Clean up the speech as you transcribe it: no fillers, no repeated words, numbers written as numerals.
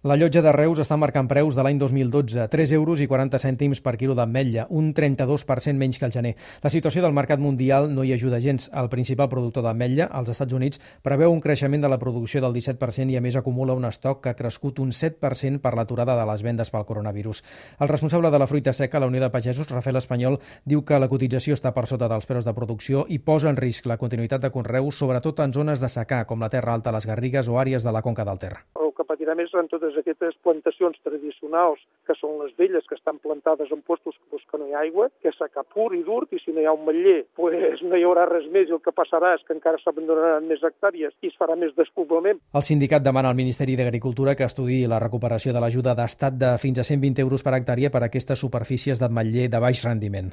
La llotja de Reus està marcant preus de l'any 2012, 3,40 € per quilo d'ametlla, un 32% menys que el gener. La situació del mercat mundial no hi ajuda gens. El principal productor d'ametlla, als Estats Units, preveu un creixement de la producció del 17% i a més acumula un estoc que ha crescut un 7% per l'aturada de les vendes pel coronavirus. El responsable de la fruita seca a la Unió de Pagesos, Rafael Espanyol, diu que la cotització està per sota dels preus de producció i posa en risc la continuïtat de conreus, sobretot en zones de secà, com la Terra Alta, les Garrigues o àrees de la Conca del Ter. El que patirà més en totes aquestes plantacions tradicionals, que són les velles, que estan plantades en puestos que no hi ha aigua, que és secà pur i dur, i si no hi ha un metller, pues no hi haurà res més, i el que passarà és que encara s'abandonaran més hectàrees i es farà més despoblament. El sindicat demana al Ministeri d'Agricultura que estudiï la recuperació de l'ajuda d'estat de fins a 120 € per hectàrea per a aquestes superfícies d'ametller de baix rendiment.